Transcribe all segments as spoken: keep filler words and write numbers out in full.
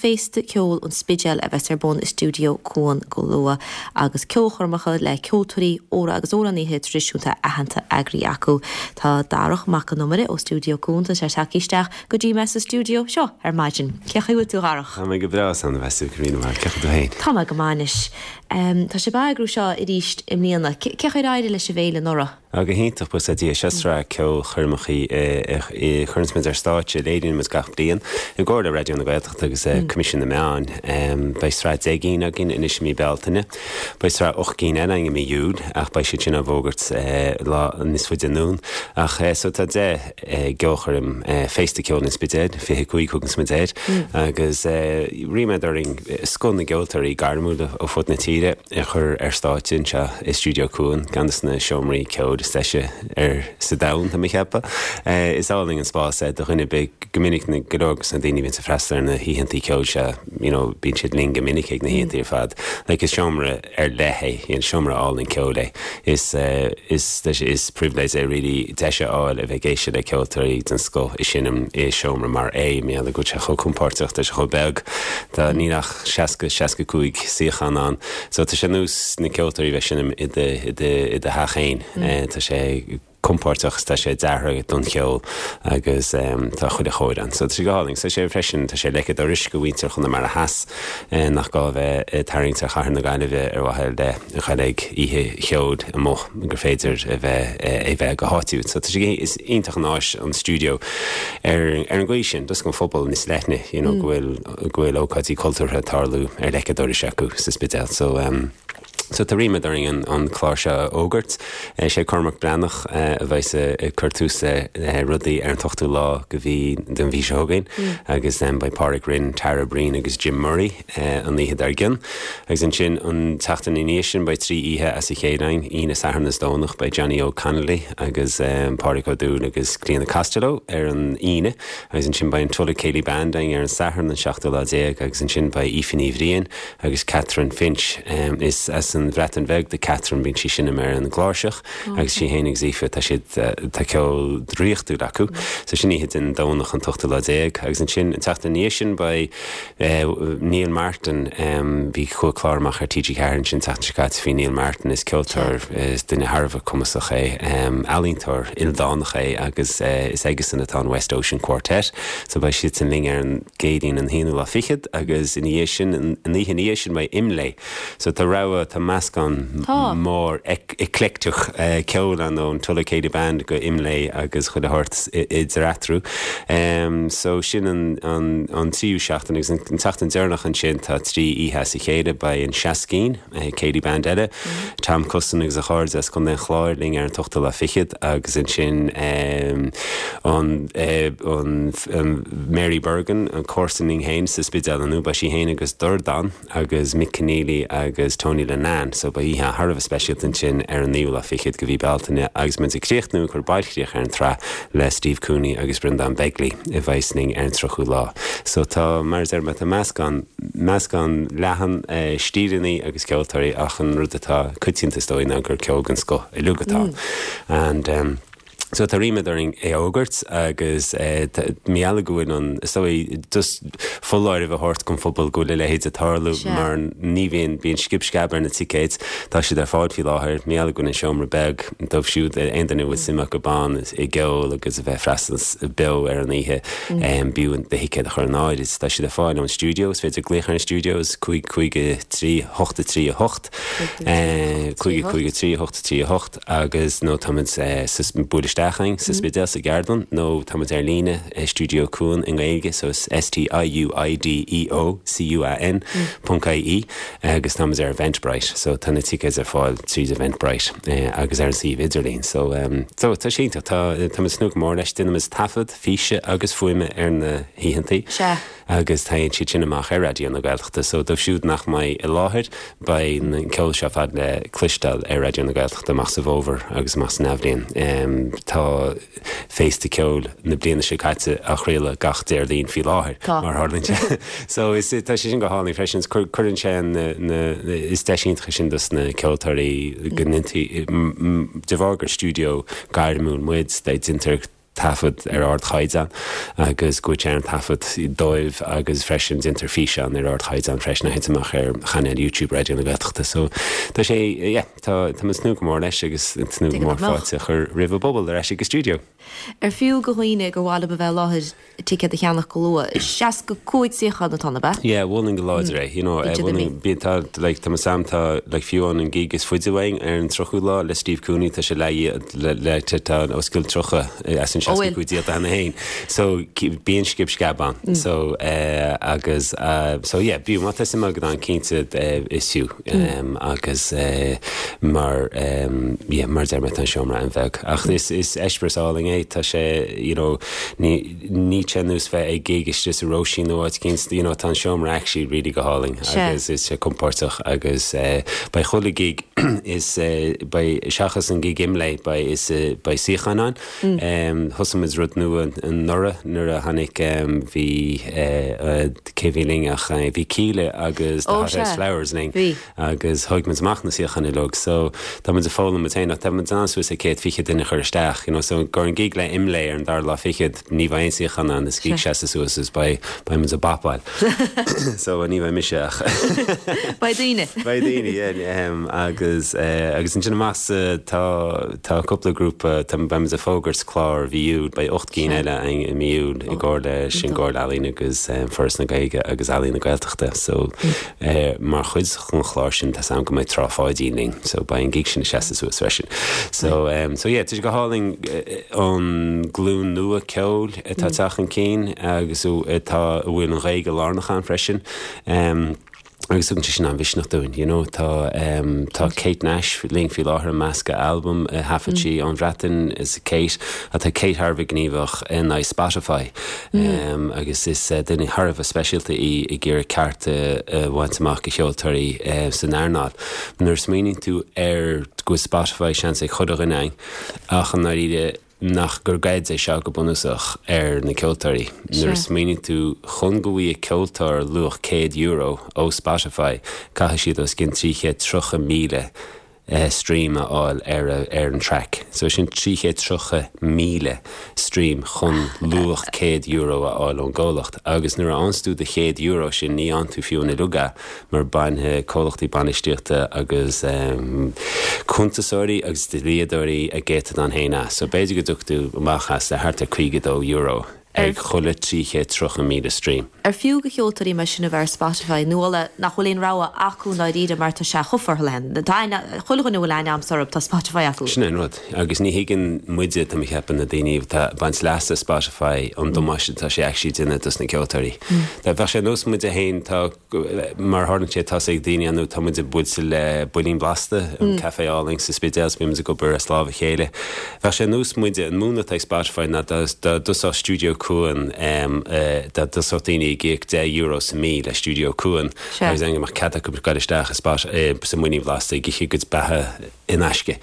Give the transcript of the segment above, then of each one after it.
Féasta Ceoil an Spidéil a bheas ar bun i Stiúideo Cuan go luath agus ceolchoirmeacha le ceoltóirí óra agus amhránaithe traidisiúnta aitheanta eagraithe acu. Tá Darach Mac Con Iomaire ó Stiúideo Cuan tá sé tagtha isteach go dtí mé sa stiúideo seo ar maidin. Cén chaoi a bhfuil tú, a Dharach? Tá mé go breá san bheith go mar ce tú féin. Tá mé go maith. Um, tá sibh ag eagrú seo arís i mbliana, cén chaoi ar éirigh leis an bhféile anuraidh? Go hiontach buíochas le Dia. Seo sraith ceolchoirmeacha chuireann muid ar stáitse léiríonn muid gach bliain i gcomhar le Raidió na Gaeltachta agus Coimisiún na Meán. Beidh sraith deich gcinn againn anois i mí Bealtaine. Beidh sraith ocht gcinn eile i mí Iúil ach beidh siad sin á bhfógairt lá níos faide anonn. Ach so tá deich gceolchoirm Féasta Ceoil an Spidéil, fiche cúig thugann muid air, agus ríméad orainn scoth na gceoltóirí gairmiúla ó fud na tíre a chur ar stáitse anseo i Stiúideo Cuan ceann de na seomraí ceoil is deise ar sa domhan tá mé ag ceapadh. Is álainn an spás é do dhuine be go minic na go leor na daoine bhíonn ag freastal ar na hoícheanta ceoil seo you know, bíonn siad linn go minic ag na hoícheanta ar fad. Like is seomra ar leith é an seomra álainn ceoil é. Is uh, is is privilege é really deis a fháil a bheith ag éisteacht le ceoltóirí den scoth ag seinm i seomra mar é mé le go sé chomh compordach tá sé chomh beag Tá níl ach seasca seasca cúig suíochán ann. So tá sé nós na ceoltóirí bheith ag seinm i do i do theach féin. Tá sé compordach tá sé deartha don cheol agus um, tá chuile chóir ann. So tá sé go hálainn, so sé freisin tá sé leice doris go bhfuintear chun mar a has eh, nach gá bheith eh, tarraingt ar chathair na Gaillimhe ar mhaithe le dhul ag oíche cheoil amuigh gur féidir a bheith eh, é bheith go háitiúil. So tá sé is iontach an áis an stiúideo ar ar an gcaoi sin dus an phobal níos leithne you know, mm. go bhfuil go bhfuil ócáidí cultúrtha tarlú ar leice dorais acu sa Spidéal. So um, So tá ríméad orainn an, an clár seo a fhógairt sé Cormac Breathnach a bheas ag cur tús le rudaí ar an t-ochtú lá go mhí den mhí seo chugainn mm. agus um, beidh Pádraig Rynne Tara Breen agus Jim Murray uh, an oíche dár gcionn. Agus ansin an tseachtain ina dhiaidh sin beidh trí oíche as a chéile Aoine Satharn is Domhnach beidh Johnny O'Connolly agus um, Pádraig Ó Dúill agus Clíona Costello ar an Aoine agus ansin beidh an Tulla Céilí Band ar an Satharn an seachtú lá déag agus ansin beidh Aoife Ní Bhriain agus Catherine Finch um, is as an Bhreatain Bheag do Catherine bíonn sí seinm ar an gcláirseach agus sí féin agus Aoife tá siad tá ceol draíochtúil acu. So sin oíche den Domhnach an t-ochtú lá déag agus ansin an tseachtain ina dhiaidh sin beidh Neil Martin bhí chu chlár amach ar TG Ceathair sin seachtain seo faoi Neil Martin is ceoltóir is duine thar a bheith cumasach é ealaíontóir ildánach é agus is aigesan atá an West Ocean Quartet, so beidh siad sin linn ar an gCéadaoin an haonú lá fichead agus ina dhiaidh sin an oíche ina dhiaidh sin beidh Imlé. So tá rogha tá meascán mór eclectic ceoil ann ón Tulla Céilí Band go Imlé agus chuile shórt idir eatarthu. Um, so sin an, an, an tríú seachtain agus an tseachtain deireanach ansin tá trí oíche as a chéile beidh an Seascín Céilí Band eile, mm. Tom Custin agus a chairde as Contae an Chláir linn ar an t-ochtú lá fichead agus ansin um, an, uh, an, um, Mary Bergin an comharsan linn féin sa Spidéal nó beidh sí féin agus Dordán agus Mick Keneally agus Tony Linnane, so beidh oíche thar a bheith speisialta ansin ar an naoú lá fichead go mhí Bealtaine agus muid ag críochnú cur bailchríoch ar an tsraith le Steve Cooney agus Brendan Begley i bhfeisning ar an tríochadú lá. So tá mar ar tá meascán meascán leathan uh, stíleanna agus ceoltóirí ach an rud atá coitianta is dóigh ná gur ceol den scoth uilig atá. Mm. And um, So tá ríméad orainn é a fhógairt agus meall go bhfuil an so just foláireamh a thabhairt don phobal go bhfuil a leithéid ag tarlú mar ní bhíonn bíonn scib sceab ar na ticéid tá siad ar fáil faoi láthair meall go an seomra beag dóibh siúd aon duine bhfuil suim acu ann i gceol agus a bheith freastal beo ar an oíche b'fhiú do thicéad a chur in áirithe tá siad ar fáil ón stiúideo is féidir glaoch ar an stiúideo cúig cúig trí hocht trí hocht cúig cúig trí hocht trí hocht agus nó táimid buail isteach sa Spidéal sa gceardlann nó táimid ar líne Stiúideo Cuan i nGaeilge so is S T I U I D E O C U A N ponc I E agus táimid ar Eventbrite so tá na tickets ar fáil trí Eventbrite agus ar an suíomh idirlín so um, so tá sé tá tá tnúth mór leis déanaimid taifead físe agus fuaime ar na hoícheanta. agus téann siad sin amach ar Raidió na Gaeltachta, so dóibh siúd nach mbeidh i láthair beidh an ceol seo fad le cloisteáil ar Raidió na Gaeltachta amach sa bhfómhar agus amach san athbhliain. Um, tá féasta ceoil na bliana seo caite á chraoladh gach Déardaoin faoi láthair mar tharlaíonn sé. So is tá sé sin go hálainn freisin cuireann sé is deis iontach sin dos na ceoltóirí go de bharr gur stiúideo gairmiúil muid déantar taifead ar ardchaighdeán agus go bhfuil sé ar an taifead dóibh agus freisin déantar físeán ar ardchaighdeán freisin a théann amach ar chainéal YouTube Raidió na Gaeltachta. So tá sé yeah, tá tá muid ag tnúth go mór leis agus tnúth go mór fáilte a chur roimh an bpobal ar ais ag an stiúideo. Ar fiú do dhaoine gur mhaith leo a bheith i láthair ticéad a cheannach go luath. Seasca cúig suíochán atá ann, ab ea? Yeah, mholfainn go láidir é, you know, mholfainn bíonn tá like tá sam tá like fiú an an gig is faide uainn ar an tríochadú lá le Steve Cooney tá sé le le le tá os cionn tríocha as an seasca cúig díolta cheana féin. So bíonn scib sceab ann. So uh, agus uh, so yeah, bíonn má tá suim agat ann cinnte uh, is fiú um, agus uh, mar um, yeah, mar deir mé tá an seomra an-bheag. Ach is is eispéireas álainn é tá sé you know, ní ní ar nós bheith ag gig istigh sa Róisín nó áit éicint you know, tá an seomra actually really go hálainn agus is sé compordach agus uh, beidh chuile gig is uh, beidh seachas an gig Imlé beidh is uh, beidh suíocháin ann. Mm. Um, Thosaigh muid rud nua anuraidh nuair a tháinig um, bhí uh, uh, cé bhí linn ach uh, bhí Kíla agus the Ó, Hothouse sea. Flowers linn Bhí. agus thóg muid amach na suíocháin uilig so tá muid ag foghlaim muid féin ach tá muid an suas le céad fiche duine chur isteach you know, so gur an gig le Imlé ar an dara lá fichead ní bheidh aon suíochán ann is gig seasta suas is beidh beidh muid ag bopáil so ní bheidh mise ach Beidh daoine. Beidh daoine yeah, um, agus uh, agus ansin amach tá tá cúpla grúpa tá beimid ag fógairt clár mhí Iúil beidh ocht gcinn eile i mí Iúil i gcomhar le sin Comhairle Ealaíon agus um, Foras na Gaeilge agus Ealaín na Gaeltachta so uh, mar chuid den chlár sin tá am go mbeidh Trá Pháidín linn so beidh an gig sin seasta suas freisin so um, so yeah, tá sé go hálainn uh, an glún nua ceoil atá ag teacht chun cinn agus atá a bhfuil an Ghaeilge lárnach ann freisin um, agus tugann sé sin an-mhisneach dúinn you know, tá um, tá Kate Nash linn faoi láthair an measca album uh, thaifead sí ón Bhreatain is Kate atá Kate thar a bheith gníomhach in i Spotify mm. um, agus is uh, duine thar a bheith speisialta í i gur ceart uh, bhaint amach do cheoltóirí uh, san earnáil. Nuair smaoiníonn tú ar go Spotify seans ag chuile dhuine ach an náiríre nach gur goid é seo go bunúsach ar na ceoltóirí. Nuair smaoiníonn tú chun go bhfaighidh ceoltóir luach céad euro ó Spotify caithfidh siad os cionn trí chéad tríocha míle uh, stream a fháil ar ar an track. So sin trí chéad tríocha míle stream chun luach céad euro a fháil ón gcomhlacht. Agus nuair a fhaigheann tú do chéad euro sin ní fhaigheann tú fiú an luga mar bainfidh comhlachtaí bainistíochta agus um, cuntasóirí agus dlíodóirí a gcéatadán féin as. So b'fhéidir go dtug tú amach as le thart ar caoga dó euro ag chuile trí chéad tríocha míle stream. Ar fiú do cheoltóirí mar sin a bheith ar Spotify nó nach bhfuil aon rogha acu dáiríre mar tá sé chomh forleathan. Chuile dhuine bhfuil aithne agam orthu tá Spotify acu. Sin an rud agus ní thuigeann muide tá mé ag ceapadh na daoine atá ag baint leas as Spotify an damáiste tá sé actually ag déanamh dos na ceoltóirí. Tá bheadh sé nós muide féin tá mar tharlaíonn sé tá ag daoine anú tá muid buailte le Builín Blasta an café álainn sa Spidéal bíonn muid ag obair as lámh a chéile. Bheadh sé nós muide an múnla ag Spotify ná dá dtosódh Stiúideo Cuan um, uh, dá dtosódh daoine ag íoc deich euro sa mí le Stiúideo Cuan agus an go cead acu dul isteach spás eh, sa mBuilín Blasta ag ithe a gcuid beatha in aisce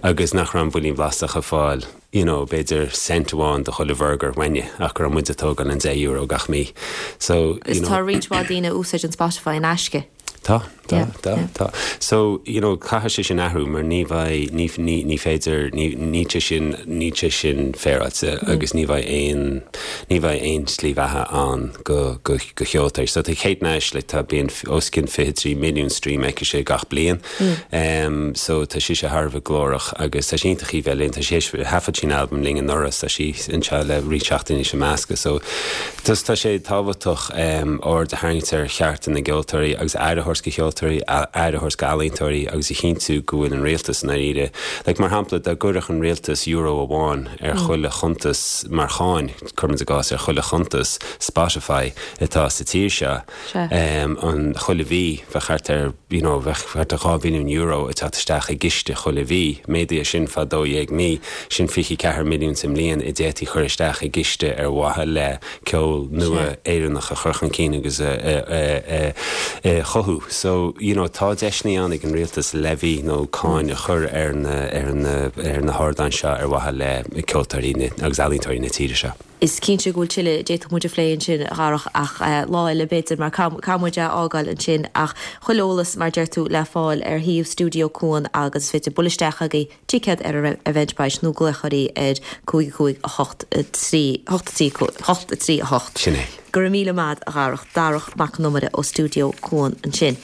agus nach raibh an Builín Blasta ag fáil you know, b'fhéidir cent amháin do chuile bhurger uainne ach go raibh muid ag tógáil an deich euro gach mí. So Is tá roinnt mhaith daoine ag úsáid an Spotify in aisce. Tá tá tá tá so you know caithfidh sé sin athrú mar ní bheidh ní ní ní féidir ní ní sin ní sin féaráilte mm. agus ní bheidh aon ní bheidh aon slí bheatha ann do do do cheoltóirí so tá Kate Nash le tá bíonn os cionn fiche trí milliún stream aici sé gach bliain mm. um, so tá sí sé thar a bheith glórach agus tá sí chi bheith linn tá sé thaifead sí album linn anuraidh tá sí anseo le roinnt seachtainí sa measca so dus tá sé tábhachtach um, aird a tharraingt ar chearta na gceoltóirí agus aire a thabhairt do cheoltóirí aire a thabhairt d'ealaíontóirí agus a chinntiú go bhfuil an rialtas na ire. Like mar shampla dá gcuirfeadh an rialtas euro amháin ar mm. chuile chuntas mar cháin cuirim i gcás ar chuile chuntas Spotify atá sa tír seo um, an chuile mhí bheadh thart ar you know, bheadh thart ar dhá mhilliún euro ag teacht isteach i gciste chuile mhí méadaithe sin fá dó dhéag mí sin fiche ceathair milliún sa mbliain a d'fhéadfaí chur isteach i gciste ar mhaithe le ceol nua Éireannach a chur chun cinn agus a, a, a, a, a chothú. So you know, tá deiseanna ann ag an rialtas levy nó cáin a chur ar na ar na ar na hardáin seo ar mhaithe le ceoltóirí agus ealaíontóirí na tíre seo. Is cinnte go bhfuil tuilleadh d'fhéadfadh muid a phlé ansin a Dharach ach uh, lá eile b'fhéidir mar caithfidh muid a fhágáil ansin ach chuile eolas mar deir tú le fáil ar shuíomh Stiúideo Cuan agus féidir bualadh isteach chuige ticéad ar Eventbrite nó glaoch orthu ar cúig cúig a hocht trí hocht trí hocht. Sin é. Go raibh míle maith a Dharach Darach Mac an Iomaire ó Stiúideo Cuan ansin.